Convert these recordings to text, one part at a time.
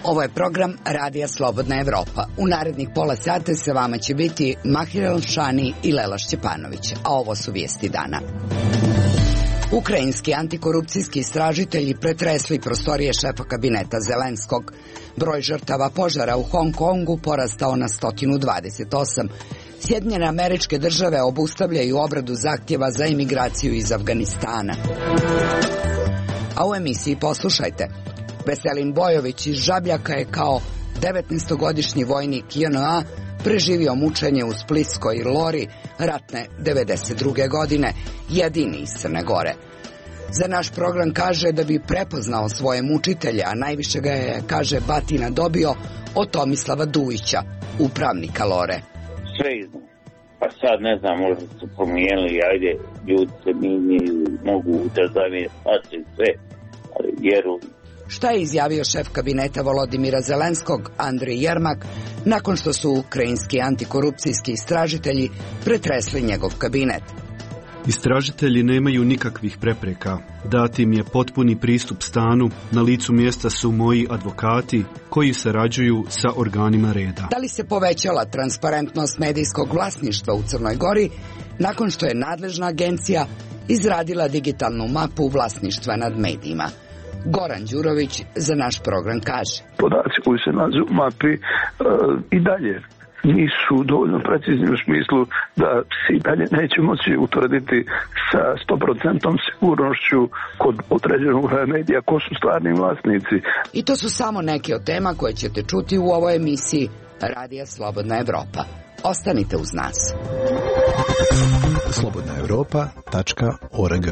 Ovo je program Radija Slobodna Evropa. U narednih pola sata sa vama će biti Mahir Elšani i Lela Šćepanović, a ovo su vijesti dana. Ukrajinski antikorupcijski istražitelji pretresli prostorije šefa kabineta Zelenskog. Broj žrtava požara u Hong Kongu porastao na 128. Sjedinjene Američke Države obustavljaju obradu zahtjeva za imigraciju iz Afganistana. A u emisiji poslušajte. Veselin Bojović iz Žabljaka je kao 19-godišnji vojnik JNA preživio mučenje u Splitskoj Lori ratne 92. godine, jedini iz Crne Gore. Za naš program kaže da bi prepoznao svoje mučitelje, a najviše ga je, kaže, batina dobio od Tomislava Dujića, upravnika Lore. Sve iznad. Pa sad ne znam, možda su promijenili, ajde, ljudi se mogu da zamije sve, ali vjeruju. Šta je izjavio šef kabineta Volodimira Zelenskog, Andrej Jermak, nakon što su ukrajinski antikorupcijski istražitelji pretresli njegov kabinet? Istražitelji nemaju nikakvih prepreka. Dati im je potpuni pristup stanu, na licu mjesta su moji advokati koji sarađuju sa organima reda. Da li se povećala transparentnost medijskog vlasništva u Crnoj Gori nakon što je nadležna agencija izradila digitalnu mapu vlasništva nad medijima? Goran Đurović za naš program kaže. Podaci koji se nađu u mapi i dalje nisu dovoljno precizni u smislu da se i dalje neće moći utvrditi sa 100% sigurnošću kod određenog medija ko su stvarni vlasnici. I to su samo neke od tema koje ćete čuti u ovoj emisiji Radija Slobodna Evropa. Ostanite uz nas. slobodnaevropa.org.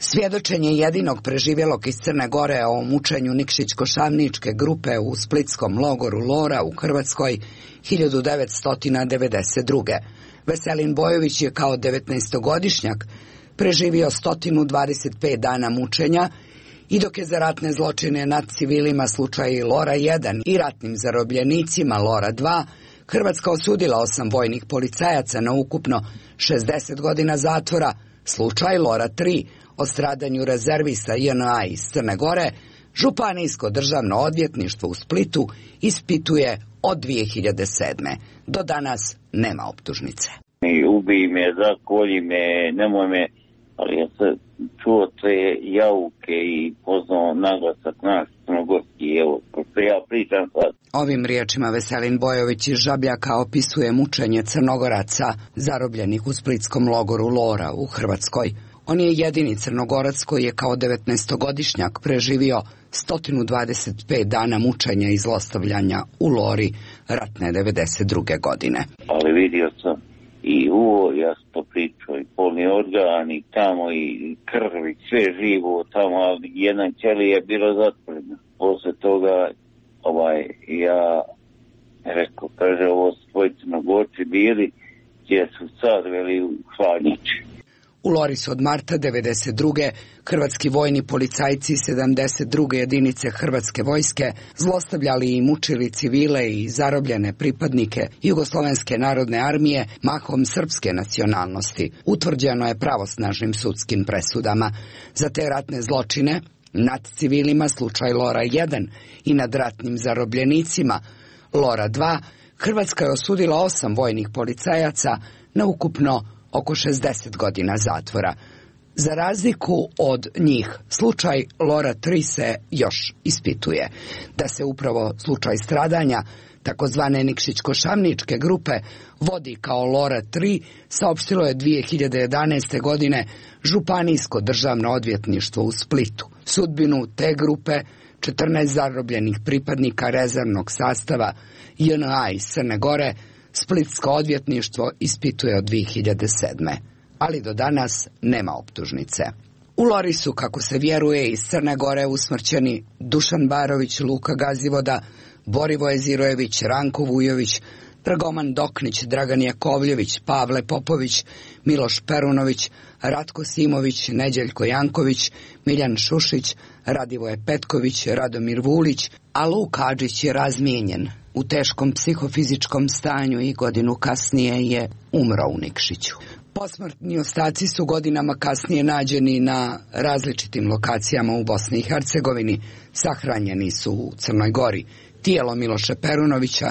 Svjedočenje jedinog preživjelog iz Crne Gore o mučenju Nikšić-Košavničke grupe u splitskom logoru Lora u Hrvatskoj 1992. Veselin Bojović je kao 19-godišnjak preživio 125 dana mučenja i dok je za ratne zločine nad civilima slučaj Lora 1 i ratnim zarobljenicima Lora 2 Hrvatska osudila 8 vojnih policajaca na ukupno 60 godina zatvora, slučaj Lora 3 o stradanju rezervista JNA iz Crne Gore, Županijsko državno odvjetništvo u Splitu ispituje od 2007. Do danas nema optužnice. Ubij me, zakolji me, nemoj me, ali ja sam čuo te jauke i poznao naglasak naš crnogorski, evo, pošto ja pričam sad. Ovim riječima Veselin Bojović iz Žabljaka opisuje mučenje Crnogoraca zarobljenih u splitskom logoru Lora u Hrvatskoj. On je jedini Crnogorac koji je kao 19-godišnjak preživio 125 dana mučenja i zlostavljanja u Lori ratne 92. godine. Ali vidio sam i uvo, ja sam to pričao, i polni organ, i tamo, i krv, i sve živo tamo, ali jedan ćeli je bilo zatvoreno. Posle toga, ja rekao, kaže, ovo su tvoji Crnogorci bili, gdje su sad veli u hladnjači. U Lori su od marta 1992. hrvatski vojni policajci 72. jedinice Hrvatske vojske zlostavljali i mučili civile i zarobljene pripadnike Jugoslovenske narodne armije mahom srpske nacionalnosti. Utvrđeno je pravosnažnim sudskim presudama. Za te ratne zločine nad civilima slučaj Lora 1 i nad ratnim zarobljenicima Lora 2 Hrvatska je osudila 8 vojnih policajaca na ukupno oko 60 godina zatvora. Za razliku od njih, slučaj Lora 3 se još ispituje. Da se upravo slučaj stradanja takozvane Nikšić-Košavničke grupe vodi kao Lora 3, saopštilo je 2011. godine Županijsko državno odvjetništvo u Splitu. Sudbinu te grupe 14 zarobljenih pripadnika rezervnog sastava JNA iz Crne Gore Splitsko odvjetništvo ispituje od 2007. Ali do danas nema optužnice. U Lori su, kako se vjeruje, iz Crne Gore usmrćeni Dušan Barović, Luka Gazivoda, Borivoje Zirojević, Ranko Vujović, Dragoman Doknić, Dragan Jakovljević, Pavle Popović, Miloš Perunović, Ratko Simović, Neđeljko Janković, Miljan Šušić, Radivoje Petković, Radomir Vulić, a Luk Hadžić je razmijenjen u teškom psihofizičkom stanju i godinu kasnije je umro u Nikšiću. Posmrtni ostaci su godinama kasnije nađeni na različitim lokacijama u Bosni i Hercegovini, sahranjeni su u Crnoj Gori. Tijelo Miloša Perunovića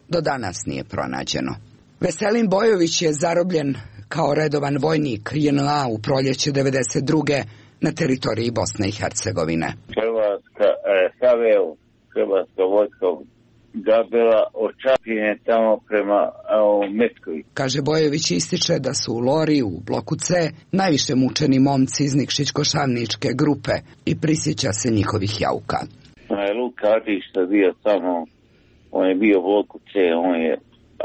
do danas nije pronađeno. Veselin Bojović je zarobljen kao redovan vojnik JNA u proljeće 1992. na teritoriji Bosne i Hercegovine. Hrvatska vojska gabila od Čapljine tamo prema Metkoviću. Kaže Bojović, ističe da su u Lori u bloku C najviše mučeni momci iz Nikšićko-Šavničke grupe i prisjeća se njihovih jauka. Luka Adić što je bio tamo, on je bio u bloku C,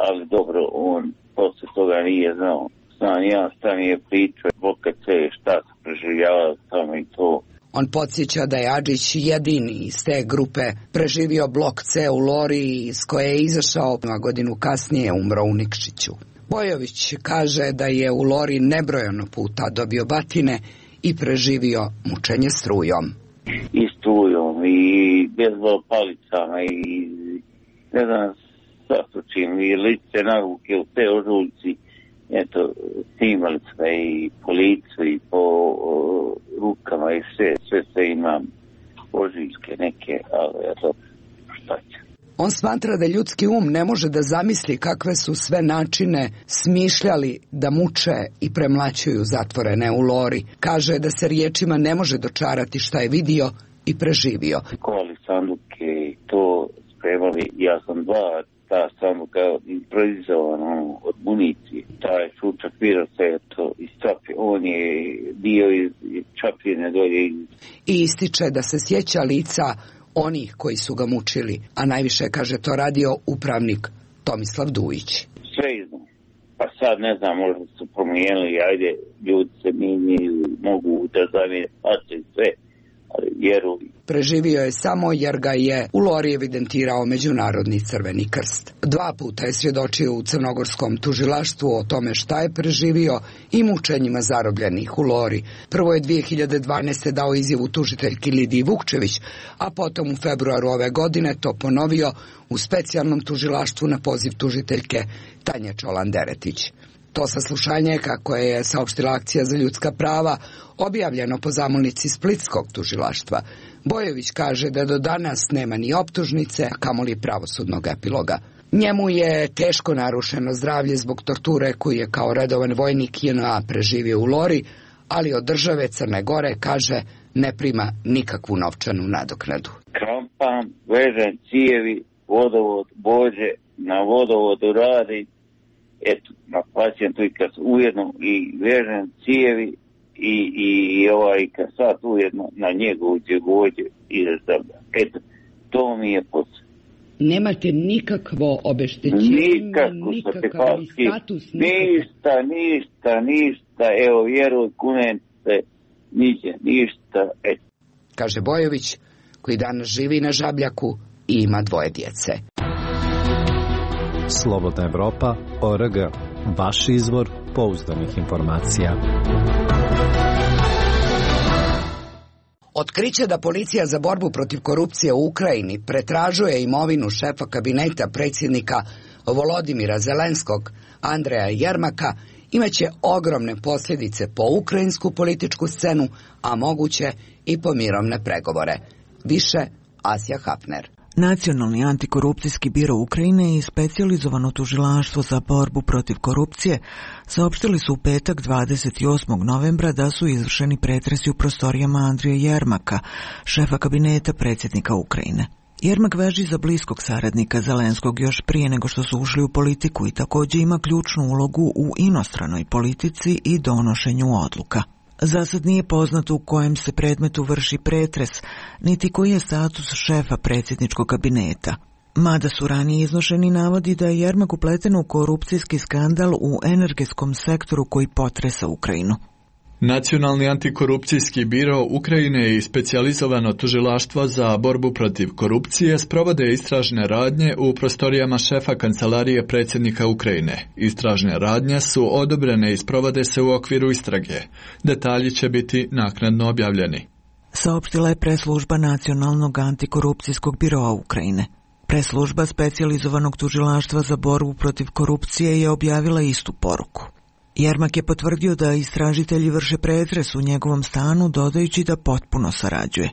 ali dobro, on posle toga nije znao. Znam ja šta mi je pričao bloka C, šta se preživljavao tamo i to. On podsjeća da je Adžić jedini iz te grupe preživio blok C u Lori, iz koje je izašao, a godinu kasnije umro u Nikšiću. Bojović kaže da je u Lori nebrojeno puta dobio batine i preživio mučenje strujom. I strujom, i bezbol palicama, i ne znam šta su čim, i lice naruke u te ožuljci, eto, snimali sve i po licu i po rukama i sve imam ožiljke neke, ali eto, šta će. On smatra da ljudski um ne može da zamisli kakve su sve načine smišljali da muče i premlaćuju zatvorene u Lori. Kaže da se riječima ne može dočarati šta je vidio i preživio. Kovali sanduke i to spremali, ja sam ta sanduka improvizovana od municije. Taj slučak virusa je to iz Čapljine, on je bio iz Čapljine dolje. I ističe da se sjeća lica onih koji su ga mučili, a najviše, kaže, to radio upravnik Tomislav Dujić. Sve iznam. Pa sad ne znam, možda su promijenili, ajde, ljudi se minjaju, mogu da zamijene face sve, ali vjeruju. Preživio je samo jer ga je u Lori evidentirao Međunarodni Crveni krst. 2 puta je svjedočio u crnogorskom tužilaštvu o tome šta je preživio i mučenjima zarobljenih u Lori. Prvo je 2012. dao izjavu tužiteljki Lidiji Vukčević, a potom u februaru ove godine to ponovio u specijalnom tužilaštvu na poziv tužiteljke Tanje Čolan-Deretić. To saslušanje, kako je saopštila Akcija za ljudska prava, objavljeno po zamolnici Splitskog tužilaštva. Bojović kaže da do danas nema ni optužnice, a kamoli pravosudnog epiloga. Njemu je teško narušeno zdravlje zbog torture koju je kao redovan vojnik JNA preživio u Lori, ali od države Crne Gore, kaže, ne prima nikakvu novčanu nadoknadu. Krampam, vežem cijevi, vodovod bođe, na vodovodu radi, eto, na pacijentu i kad ujedno i vežem cijevi i kasat ujedno na njegovu djegođe ide zdravlja. Eto, to mi je posao. Nemate nikakvo obeštećenje, nikakav status? Ništa, evo, vjeruj, kunem se, ništa, eto. Kaže Bojović, koji danas živi na Žabljaku i ima 2 djece. Slobodna Evropa.org, vaš izvor pouzdanih informacija. Otkriće da policija za borbu protiv korupcije u Ukrajini pretražuje imovinu šefa kabineta predsjednika Volodimira Zelenskog, Andreja Jermaka, imaće ogromne posljedice po ukrajinsku političku scenu, a moguće i po mirovne pregovore. Više Asja Hafner. Nacionalni antikorupcijski biro Ukrajine i specijalizovano tužilaštvo za borbu protiv korupcije saopštili su u petak 28. novembra da su izvršeni pretresi u prostorijama Andrija Jermaka, šefa kabineta predsjednika Ukrajine. Jermak važi za bliskog saradnika Zelenskog još prije nego što su ušli u politiku i također ima ključnu ulogu u inostranoj politici i donošenju odluka. Zasad nije poznato u kojem se predmetu vrši pretres, niti koji je status šefa predsjedničkog kabineta. Mada su ranije iznošeni navodi da je Jermak upleten u korupcijski skandal u energetskom sektoru koji potresa Ukrajinu. Nacionalni antikorupcijski biro Ukrajine i specijalizovano tužilaštvo za borbu protiv korupcije sprovode istražne radnje u prostorijama šefa kancelarije predsjednika Ukrajine. Istražne radnje su odobrene i sprovode se u okviru istrage. Detalji će biti naknadno objavljeni. Saopštila je preslužba Nacionalnog antikorupcijskog biroa Ukrajine. Preslužba specijalizovanog tužilaštva za borbu protiv korupcije je objavila istu poruku. Jermak je potvrdio da istražitelji vrše pretres u njegovom stanu, dodajući da potpuno sarađuje.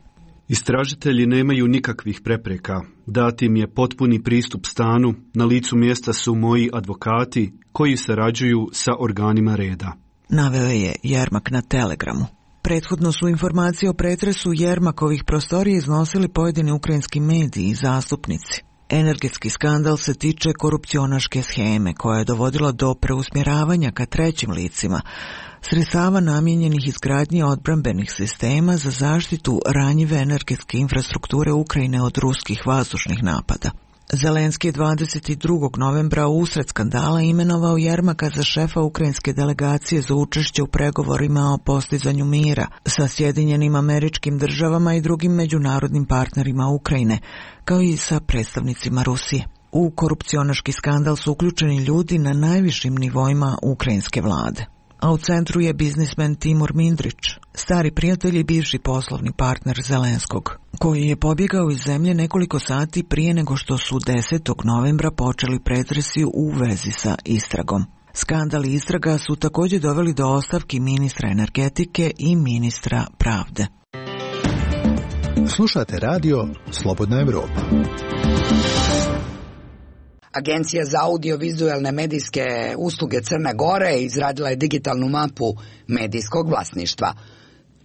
Istražitelji nemaju nikakvih prepreka. Dat im je potpuni pristup stanu, na licu mjesta su moji advokati koji sarađuju sa organima reda. Naveo je Jermak na Telegramu. Prethodno su informacije o pretresu Jermakovih prostorija iznosili pojedini ukrajinski mediji i zastupnici. Energetski skandal se tiče korupcionaške sheme koja je dovodila do preusmjeravanja ka trećim licima, sredstava namijenjenih izgradnji odbrambenih sistema za zaštitu ranjive energetske infrastrukture Ukrajine od ruskih vazdušnih napada. Zelenski je 22. novembra usred skandala imenovao Jermaka za šefa ukrajinske delegacije za učešće u pregovorima o postizanju mira sa Sjedinjenim Američkim Državama i drugim međunarodnim partnerima Ukrajine, kao i sa predstavnicima Rusije. U korupcionaški skandal su uključeni ljudi na najvišim nivoima ukrajinske vlade. A u centru je biznismen Timur Mindrić, stari prijatelj i bivši poslovni partner Zelenskog, koji je pobjegao iz zemlje nekoliko sati prije nego što su 10. novembra počeli pretresi u vezi sa istragom. Skandal i istraga su također doveli do ostavki ministra energetike i ministra pravde. Slušate radio Slobodna Evropa. Agencija za audiovizualne medijske usluge Crne Gore izradila je digitalnu mapu medijskog vlasništva.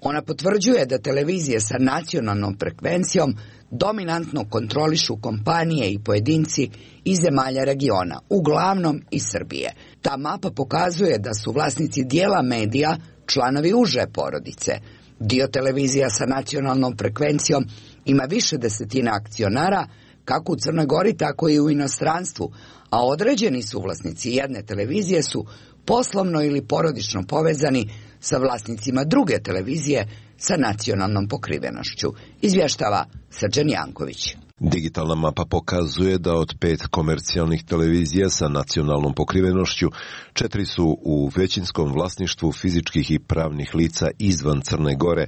Ona potvrđuje da televizije sa nacionalnom frekvencijom dominantno kontrolišu kompanije i pojedinci iz zemalja regiona, uglavnom iz Srbije. Ta mapa pokazuje da su vlasnici dijela medija članovi uže porodice. Dio televizija sa nacionalnom frekvencijom ima više desetina akcionara, kako u Crnoj Gori, tako i u inostranstvu, a određeni suvlasnici jedne televizije su poslovno ili porodično povezani sa vlasnicima druge televizije sa nacionalnom pokrivenošću, izvještava Srđan Janković. Digitalna mapa pokazuje da od 5 komercijalnih televizija sa nacionalnom pokrivenošću, 4 su u većinskom vlasništvu fizičkih i pravnih lica izvan Crne Gore.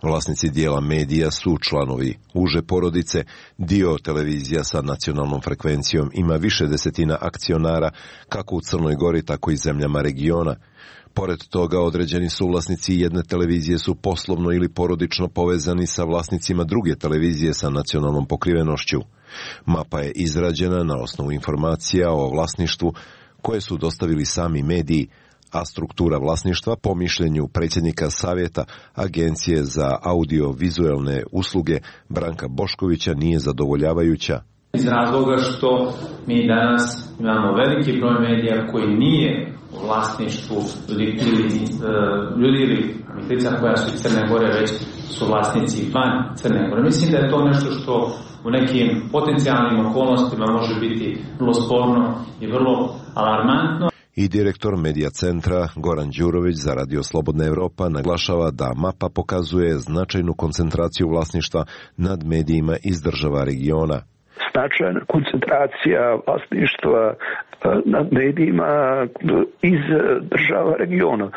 Vlasnici dijela medija su članovi uže porodice, dio televizija sa nacionalnom frekvencijom ima više desetina akcionara, kako u Crnoj Gori, tako i zemljama regiona. Pored toga, određeni suvlasnici jedne televizije su poslovno ili porodično povezani sa vlasnicima druge televizije sa nacionalnom pokrivenošću. Mapa je izrađena na osnovu informacija o vlasništvu koje su dostavili sami mediji, a struktura vlasništva po mišljenju predsjednika Savjeta Agencije za audiovizualne usluge Branka Boškovića nije zadovoljavajuća. Iz razloga što mi danas imamo veliki broj medija koji nije u vlasništvu ljudi ili lica koja su iz Crne Gore, već su vlasnici van Crne Gore. Mislim da je to nešto što u nekim potencijalnim okolnostima može biti vrlo sporno i vrlo alarmantno. I direktor Medija centra Goran Đurović za Radio Slobodna Evropa naglašava da mapa pokazuje značajnu koncentraciju vlasništva nad medijima iz država regiona. Značajna koncentracija vlasništva nad medijima iz država regiona.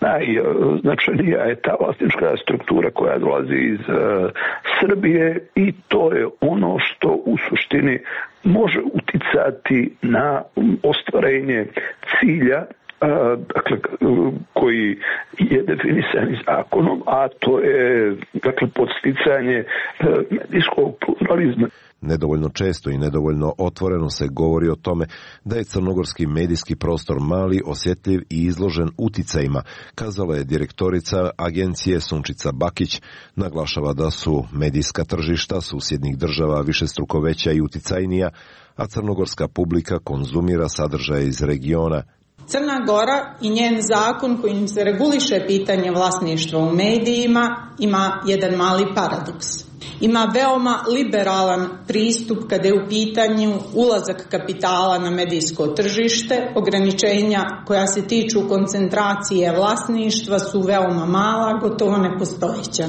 Najznačajnija je ta vlasnička struktura koja dolazi iz Srbije i to je ono što u suštini može uticati na ostvarenje cilja, dakle, koji je definisan zakonom, a to je, dakle, podsticanje medijskog pluralizma. Nedovoljno često i nedovoljno otvoreno se govori o tome da je crnogorski medijski prostor mali, osjetljiv i izložen uticajima, kazala je direktorica agencije Sunčica Bakić. Naglašava da su medijska tržišta susjednih država višestruko veća i uticajnija, a crnogorska publika konzumira sadržaje iz regiona. Crna Gora i njen zakon kojim se reguliše pitanje vlasništva u medijima ima jedan mali paradoks. Ima veoma liberalan pristup kada je u pitanju ulazak kapitala na medijsko tržište. Ograničenja koja se tiču koncentracije vlasništva su veoma mala, gotovo nepostojeća.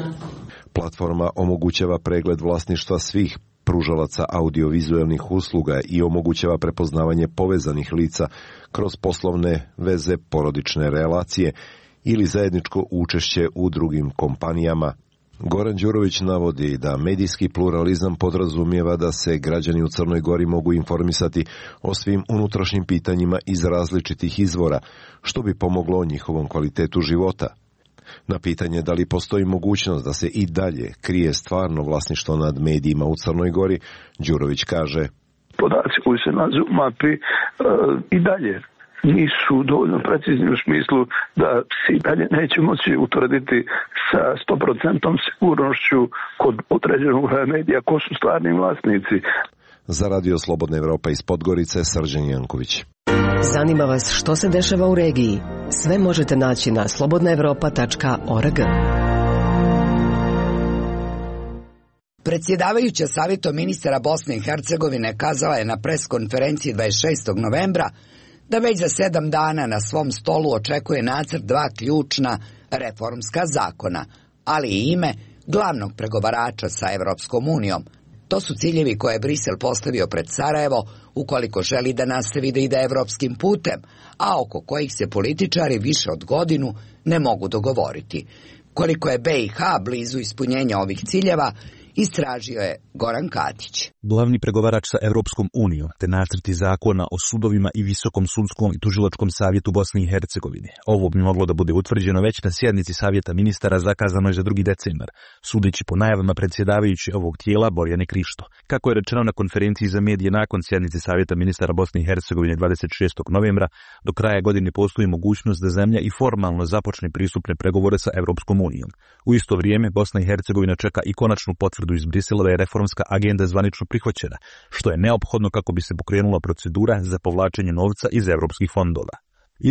Platforma omogućava pregled vlasništva svih pružalaca audiovizualnih usluga i omogućava prepoznavanje povezanih lica kroz poslovne veze, porodične relacije ili zajedničko učešće u drugim kompanijama. Goran Đurović navodi da medijski pluralizam podrazumijeva da se građani u Crnoj Gori mogu informisati o svim unutrašnjim pitanjima iz različitih izvora, što bi pomoglo njihovom kvalitetu života. Na pitanje da li postoji mogućnost da se i dalje krije stvarno vlasništvo nad medijima u Crnoj Gori, Đurović kaže: Podaci koji se nađu u mapi i dalje nisu dovoljno precizni u smislu da se i dalje neće moći utvrditi sa 100% sigurnošću kod određenog medija ko su stvarni vlasnici. Za Radio Slobodna Evropa iz Podgorice, Srđan Janković. Zanima vas što se dešava u regiji? Sve možete naći na slobodnaevropa.org. Predsjedavajuća Savjetom ministara Bosne i Hercegovine kazala je na preskonferenciji 26. novembra da već za 7 dana na svom stolu očekuje nacrt 2 ključna reformska zakona, ali i ime glavnog pregovarača sa Evropskom unijom. To su ciljevi koje je Brisel postavio pred Sarajevo ukoliko želi da nastavi da ide evropskim putem, a oko kojih se političari više od godinu ne mogu dogovoriti. Koliko je BiH blizu ispunjenja ovih ciljeva, istražio je Goran Katić. Glavni pregovarač sa Evropskom unijom te nacrti zakona o sudovima i Visokom sudskom i tužilačkom savjetu Bosne i Hercegovine. Ovo bi moglo da bude utvrđeno već na sjednici Savjeta ministara zakazanoj za 2. decembar, sudeći po najavama predsjedavajući ovog tijela Borjane Krišto. Kako je rečeno na konferenciji za medije nakon sjednice Savjeta ministara Bosne i Hercegovine 26. novembra, do kraja godine postoji mogućnost da zemlja i formalno započne pristupne pregovore sa Evropskom unijom. U isto vrijeme Bosna i Hercegovina čeka i konačnu potvrdu iz Brisela da je reformska agenda zvanično prihvaćena, što je neophodno kako bi se pokrenula procedura za povlačenje novca iz evropskih fondova.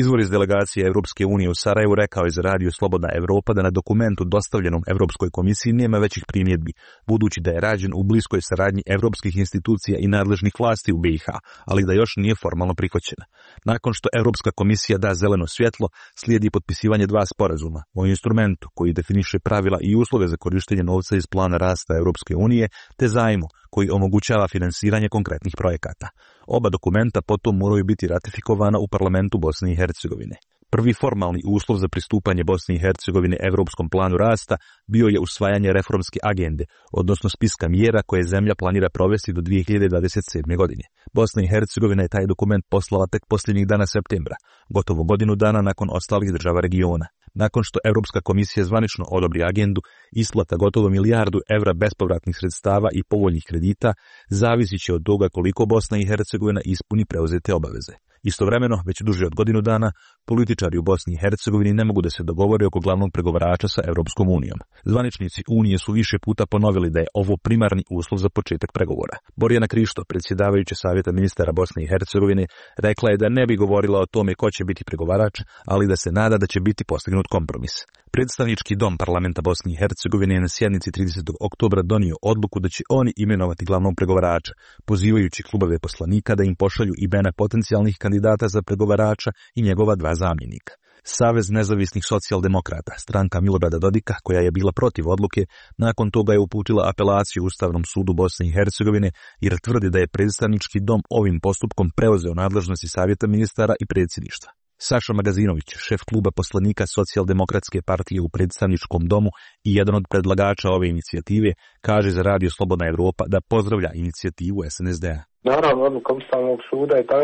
Izvor iz delegacije Evropske unije u Sarajevu rekao je za Radio Slobodna Evropa da na dokumentu dostavljenom Evropskoj komisiji nema većih primjedbi, budući da je rađen u bliskoj saradnji evropskih institucija i nadležnih vlasti u BiH, ali da još nije formalno prihvaćena. Nakon što Evropska komisija da zeleno svjetlo, slijedi potpisivanje 2 sporazuma o instrumentu koji definiše pravila i uslove za korištenje novca iz plana rasta Evropske unije, te zajmu koji omogućava finansiranje konkretnih projekata. Oba dokumenta potom moraju biti ratifikovana u parlamentu Bosne i Hercegovine. Prvi formalni uslov za pristupanje Bosne i Hercegovine Evropskom planu rasta bio je usvajanje reformske agende, odnosno spiska mjera koje zemlja planira provesti do 2027. godine. Bosna i Hercegovina je taj dokument poslala tek posljednjih dana septembra, gotovo godinu dana nakon ostalih država regiona. Nakon što Europska komisija zvanično odobri agendu, isplata gotovo €1 milijardu bespovratnih sredstava i povoljnih kredita zavisit će od toga koliko Bosna i Hercegovina ispuni preuzete obaveze. Istovremeno, već duže od godinu dana, političari u Bosni i Hercegovini ne mogu da se dogovore oko glavnog pregovarača sa Evropskom unijom. Zvaničnici Unije su više puta ponovili da je ovo primarni uslov za početak pregovora. Borjana Krišto, predsjedavajuća Savjeta ministara Bosne i Hercegovine, rekla je da ne bi govorila o tome ko će biti pregovarač, ali da se nada da će biti postignut kompromis. Predstavnički dom parlamenta Bosne i Hercegovine je na sjednici 30. oktobra donio odluku da će oni imenovati glavnog pregovarača, pozivajući klubove poslanika da im pošalju imena potencijalnih kandidata za pregovarača i njegova 2 zamjenika. Savez nezavisnih socijaldemokrata, stranka Milorada Dodika, koja je bila protiv odluke, nakon toga je uputila apelaciju Ustavnom sudu Bosne i Hercegovine jer tvrdi da je predstavnički dom ovim postupkom preuzeo nadležnosti Savjeta ministara i predsjedništva. Saša Magazinović, šef kluba poslanika Socijaldemokratske partije u predstavničkom domu i jedan od predlagača ove inicijative, kaže za Radio Slobodna Evropa da pozdravlja inicijativu SNSD-a. Naravno, odluka Ustavnog suda je ta,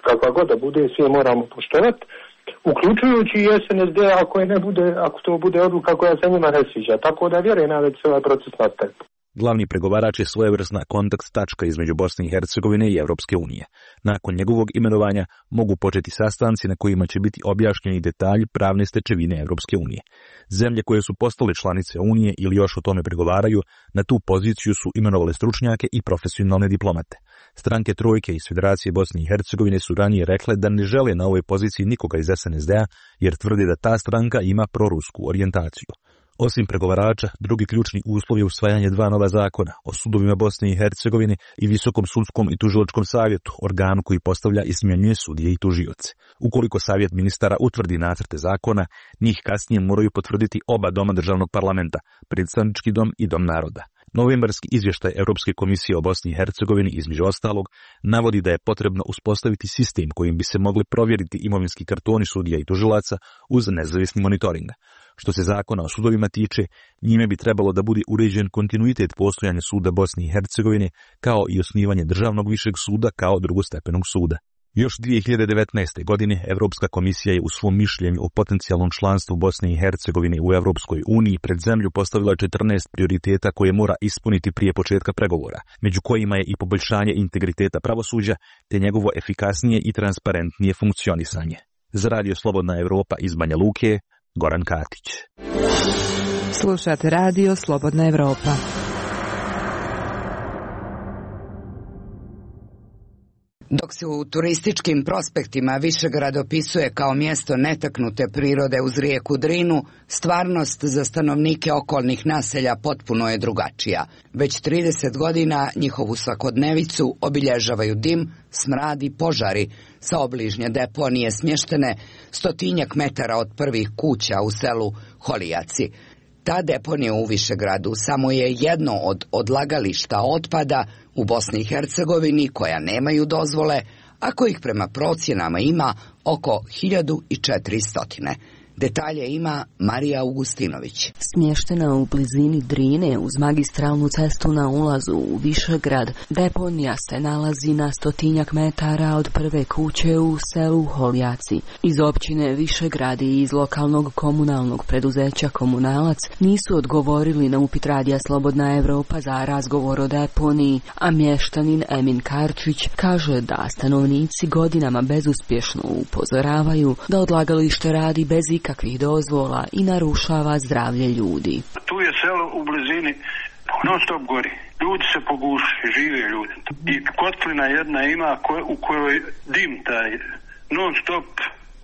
kakva god da bude, svi moramo poštovati, uključujući i SNSD ako to bude odluka koja se njima ne sviđa. Tako da vjerujem da će se ovaj proces nastaviti. Glavni pregovarač je svojevrsna kontakt tačka između Bosne i Hercegovine i Evropske unije. Nakon njegovog imenovanja mogu početi sastanci na kojima će biti objašnjeni detalji pravne stečevine Evropske unije. Zemlje koje su postale članice Unije ili još o tome pregovaraju, na tu poziciju su imenovale stručnjake i profesionalne diplomate. Stranke Trojke iz Federacije Bosne i Hercegovine su ranije rekle da ne žele na ovoj poziciji nikoga iz SNSD-a jer tvrde da ta stranka ima prorusku orijentaciju. Osim pregovarača, drugi ključni uslov je usvajanje 2 nova zakona o sudovima Bosne i Hercegovine i Visokom sudskom i tužilačkom savjetu, organu koji postavlja i smjenjuje sudije i tužioce. Ukoliko savjet ministara utvrdi nacrte zakona, njih kasnije moraju potvrditi oba doma državnog parlamenta, predstavnički dom i dom naroda. Novembarski izvještaj Europske komisije o Bosni i Hercegovini, između ostalog, navodi da je potrebno uspostaviti sistem kojim bi se mogli provjeriti imovinski kartoni sudija i tužilaca uz nezavisni monitoring. Što se zakona o sudovima tiče, njime bi trebalo da bude uređen kontinuitet postojanja suda Bosne i Hercegovine, kao i osnivanje državnog višeg suda kao drugostepenog suda. Još 2019. godine Evropska komisija je u svom mišljenju o potencijalnom članstvu Bosne i Hercegovine u Evropskoj uniji pred zemlju postavila 14 prioriteta koje mora ispuniti prije početka pregovora, među kojima je i poboljšanje integriteta pravosuđa te njegovo efikasnije i transparentnije funkcionisanje. Za Radio Slobodna Evropa iz Banja Luke, Goran Katić. Slušate Radio Slobodna Evropa. Dok se u turističkim prospektima Višegrad opisuje kao mjesto netaknute prirode uz rijeku Drinu, stvarnost za stanovnike okolnih naselja potpuno je drugačija. Već 30 godina njihovu svakodnevicu obilježavaju dim, smrad i požari sa obližnje deponije smještene 100 metara od prvih kuća u selu Holijaci. Ta deponija u Višegradu samo je jedno od odlagališta otpada u Bosni i Hercegovini koja nemaju dozvole, a kojih prema procjenama ima oko 1400. Detalje ima Marija Augustinović. Smještena u blizini Drine uz magistralnu cestu na ulazu u Višegrad, deponija se nalazi na 100 metara od prve kuće u selu Holijaci. Iz općine Višegrad i iz lokalnog komunalnog preduzeća Komunalac nisu odgovorili na upit Radija Slobodna Evropa za razgovor o deponiji, a mještanin Emin Karčić kaže da stanovnici godinama bezuspješno upozoravaju da odlagalište radi bez ikakvih dozvola i narušava zdravlje ljudi. Tu je selo u blizini, non stop gori. Ljudi se poguši, žive ljudi. I kotlina jedna ima u kojoj dim taj non stop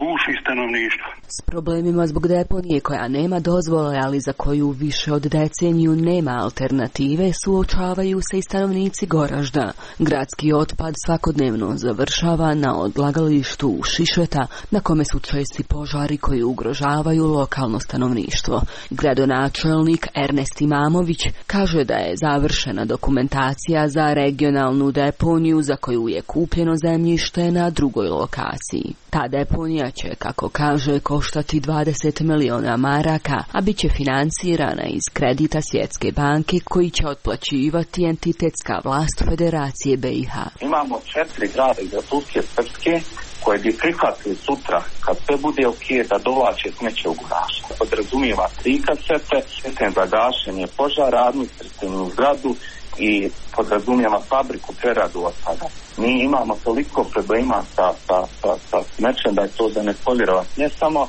guši stanovništvo. S problemima zbog deponije koja nema dozvole, ali za koju više od deceniju nema alternative, suočavaju se i stanovnici Goražda. Gradski otpad svakodnevno završava na odlagalištu Šišeta, na kome su česti požari koji ugrožavaju lokalno stanovništvo. Gradonačelnik Ernest Imamović kaže da je završena dokumentacija za regionalnu deponiju za koju je kupljeno zemljište na drugoj lokaciji. Ta deponija će, kako kaže, koštati 20 miliona maraka, a bit će financirana iz kredita Svjetske banke koji će otplaćivati entitetska vlast Federacije BiH. Imamo 4 grada iz Republike Srpske koje bi prihvatili sutra, kad sve bude ok, da dovlače smeće u Goražd. Podrazumijeva 3 kasete, sistem za gašenje požara, administrativnu zgradu i podrazumijeva fabriku preradu otpada. Mi imamo toliko problema sa smećem da je to za ne povjerovati. Ne samo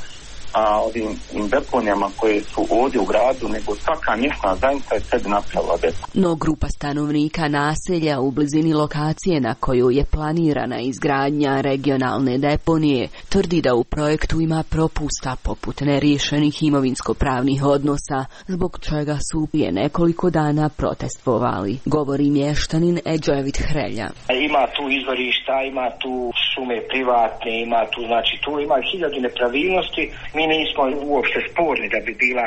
ovim deponijama koje su ovdje u gradu, nego svaka mjesna zajednica je sebi napravila deponiju. No grupa stanovnika naselja u blizini lokacije na koju je planirana izgradnja regionalne deponije tvrdi da u projektu ima propusta poput neriješenih imovinsko-pravnih odnosa, zbog čega su prije nekoliko dana protestovali. Govori mještanin Edževit Hrelja. Ima tu izvorišta, ima tu šume privatne, ima tu, znači tu ima 1000 nepravilnosti. Mi nismo uopšte sporni da bi bila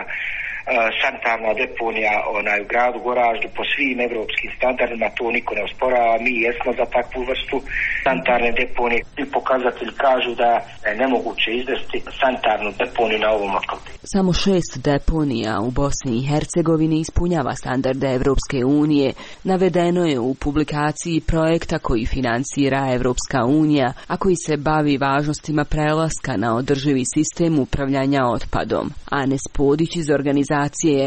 sanitarna deponija u gradu Goraždu po svim evropskim standardima, to niko ne osporava, mi jesmo za takvu vrstu sanitarne deponije i pokazatelji kažu da je nemoguće izvesti sanitarnu deponiju na ovom otoku. Samo 6 deponija u Bosni i Hercegovini ispunjava standarde Evropske unije, navedeno je u publikaciji projekta koji financira Evropska unija, a koji se bavi važnostima prelaska na održivi sistem upravljanja otpadom. Anes Podić iz organizacije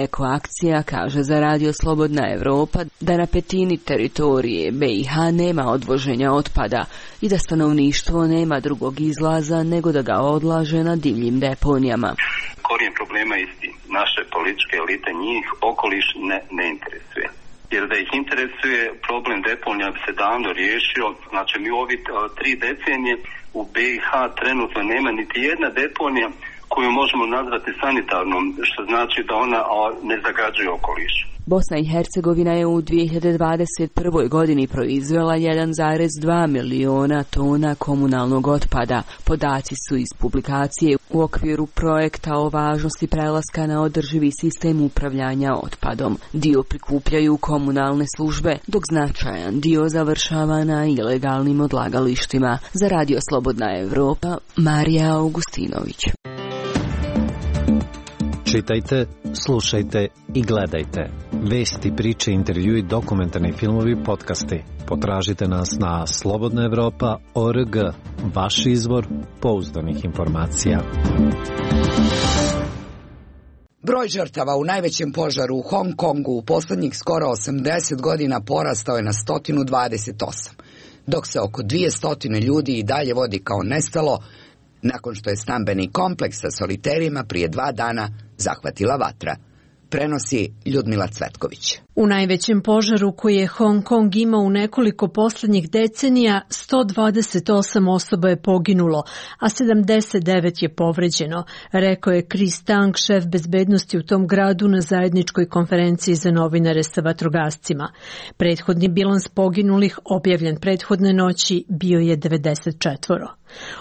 Ekoakcija kaže za Radio Slobodna Evropa da na petini teritorije BiH nema odvoženja otpada i da stanovništvo nema drugog izlaza nego da ga odlaže na divljim deponijama. Korijen problema je isti. Naše političke elite njih okoliš ne interesuje. Jer da ih interesuje problem deponija bi se davno riješio. Znači mi u ovi 3 decenije u BiH trenutno nema niti jedna deponija koju možemo nazvati sanitarnom, što znači da ona ne zagađuje okoliš. Bosna i Hercegovina je u 2021. godini proizvela 1,2 miliona tona komunalnog otpada. Podaci su iz publikacije u okviru projekta o važnosti prelaska na održivi sistem upravljanja otpadom. Dio prikupljaju komunalne službe, dok značajan dio završava na ilegalnim odlagalištima. Za Radio Slobodna Evropa, Marija Augustinović. Čitajte, slušajte i gledajte. Vesti, priče, intervjui, dokumentarni filmovi, podcasti. Potražite nas na slobodnaevropa.org, vaš izvor pouzdanih informacija. Broj žrtava u najvećem požaru u Hong Kongu u poslednjih skoro 80 godina porastao je na 128, dok se oko 200 ljudi i dalje vodi kao nestalo, nakon što je stambeni kompleks sa soliterima prije 2 dana zahvatila vatra. Prenosi Ljudmila Cvetković. U najvećem požaru koji je Hong Kong imao u nekoliko poslednjih decenija, 128 osoba je poginulo, a 79 je povređeno, rekao je Chris Tang, šef bezbednosti u tom gradu na zajedničkoj konferenciji za novinare sa vatrogascima. Prethodni bilans poginulih, objavljen prethodne noći, bio je 94.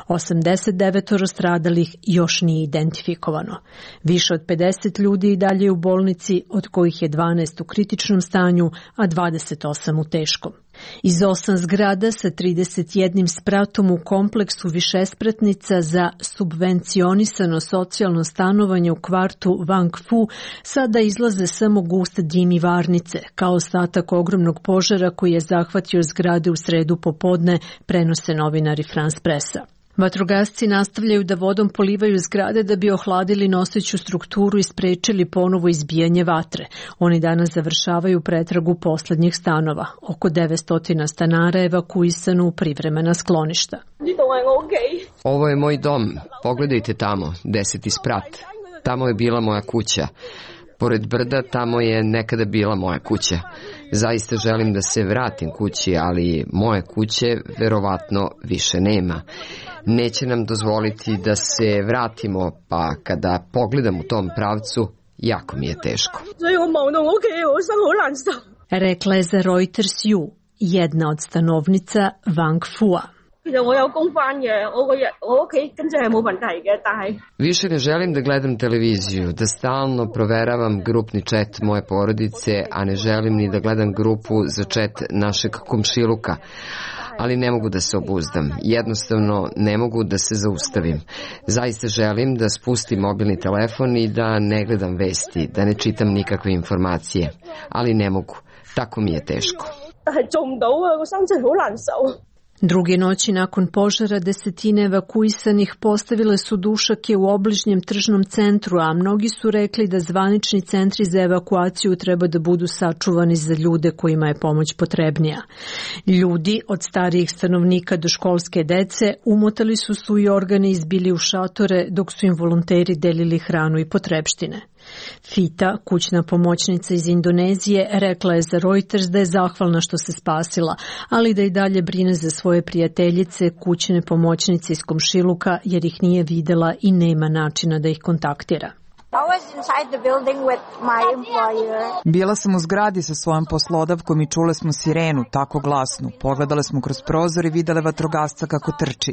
89 stradalih još nije identifikovano. Više od 50 ljudi i dalje u bolnici, od kojih je 12 u kritičnom stanju, a 28 u teškom. Iz 8 zgrada sa 31 spratom u kompleksu višespratnica za subvencionisano socijalno stanovanje u kvartu Wang Fu sada izlaze samo guste dim i varnice, kao ostatak ogromnog požara koji je zahvatio zgrade u sredu popodne, prenose novinari France Pressa. Vatrogasci nastavljaju da vodom polivaju zgrade da bi ohladili noseću strukturu i sprečili ponovo izbijanje vatre. Oni danas završavaju pretragu poslednjih stanova. Oko 900 stanara je evakuisano u privremena skloništa. Ovo je moj dom. Pogledajte tamo, 10. sprat. Tamo je bila moja kuća. Pored brda tamo je nekada bila moja kuća. Zaista želim da se vratim kući, ali moje kuće verovatno više nema. Neće nam dozvoliti da se vratimo, pa kada pogledam u tom pravcu, jako mi je teško. Rekla je za Reuters Yu, jedna od stanovnica Wang Fua. Više ne želim da gledam televiziju, da stalno proveravam grupni chat moje porodice, a ne želim ni da gledam grupu za chat našeg komšiluka. Ali ne mogu da se obuzdam. Jednostavno ne mogu da se zaustavim. Zaista želim da spustim mobilni telefon i da ne gledam vesti, da ne čitam nikakve informacije. Ali ne mogu. Tako mi je teško. Druge noći nakon požara desetine evakuisanih postavile su dušake u obližnjem tržnom centru, a mnogi su rekli da zvanični centri za evakuaciju treba da budu sačuvani za ljude kojima je pomoć potrebnija. Ljudi, od starijih stanovnika do školske dece, umotali su svoj organe i izbili u šatore dok su im volonteri delili hranu i potrepštine. Fita, kućna pomoćnica iz Indonezije, rekla je za Reuters da je zahvalna što se spasila, ali da i dalje brine za svoje prijateljice, kućne pomoćnice iz komšiluka, jer ih nije videla i nema načina da ih kontaktira. Bila sam u zgradi sa svojom poslodavkom i čule smo sirenu, tako glasnu. Pogledale smo kroz prozor i videle vatrogasca kako trči.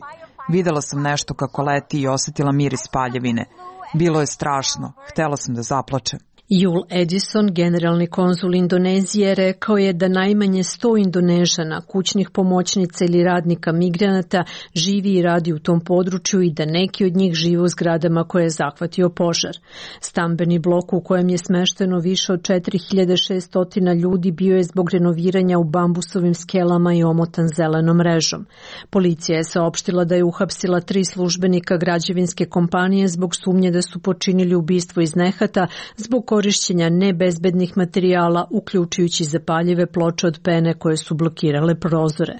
Videla sam nešto kako leti i osjetila miris paljevine. Bilo je strašno. Htela sam da zaplačem. Jul Edison, generalni konzul Indonezije, rekao je da najmanje 100 Indonežana, kućnih pomoćnica ili radnika migranata živi i radi u tom području i da neki od njih žive u zgradama koje je zahvatio požar. Stambeni blok u kojem je smešteno više od 4600 ljudi bio je zbog renoviranja u bambusovim skelama i omotan zelenom mrežom. Policija je saopštila da je uhapsila 3 službenika građevinske kompanije zbog sumnje da su počinili ubistvo iz nehata zbog korišćenja nebezbednih materijala, uključujući zapaljive ploče od pene koje su blokirale prozore.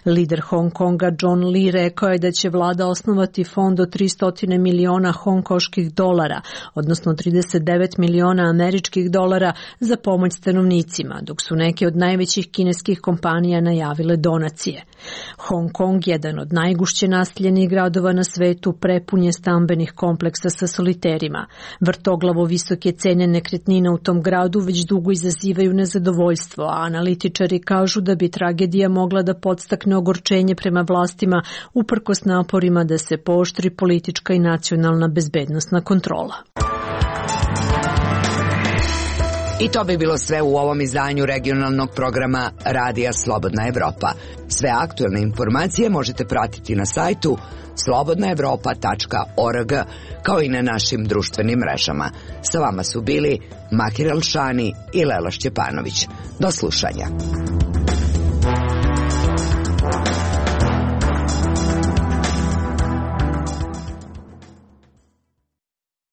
Lider Hong Konga John Lee rekao je da će vlada osnovati fond od 300 miliona hongkoških dolara, odnosno 39 miliona američkih dolara za pomoć stanovnicima, dok su neke od najvećih kineskih kompanija najavile donacije. Hong Kong, jedan od najgušće naseljenih gradova na svetu, prepun je stambenih kompleksa sa soliterima. Vrtoglavo visoke cene nekretnina u tom gradu već dugo izazivaju nezadovoljstvo, a analitičari kažu da bi tragedija mogla da podstakne ogorčenje prema vlastima uprkos naporima da se pooštri politička i nacionalna bezbednosna kontrola. I to bi bilo sve u ovom izdanju regionalnog programa Radija Slobodna Evropa. Sve aktuelne informacije možete pratiti na sajtu slobodnaevropa.org, kao i na našim društvenim mrežama. Sa vama su bili Mahir Elšani i Lela Šćepanović. Do slušanja.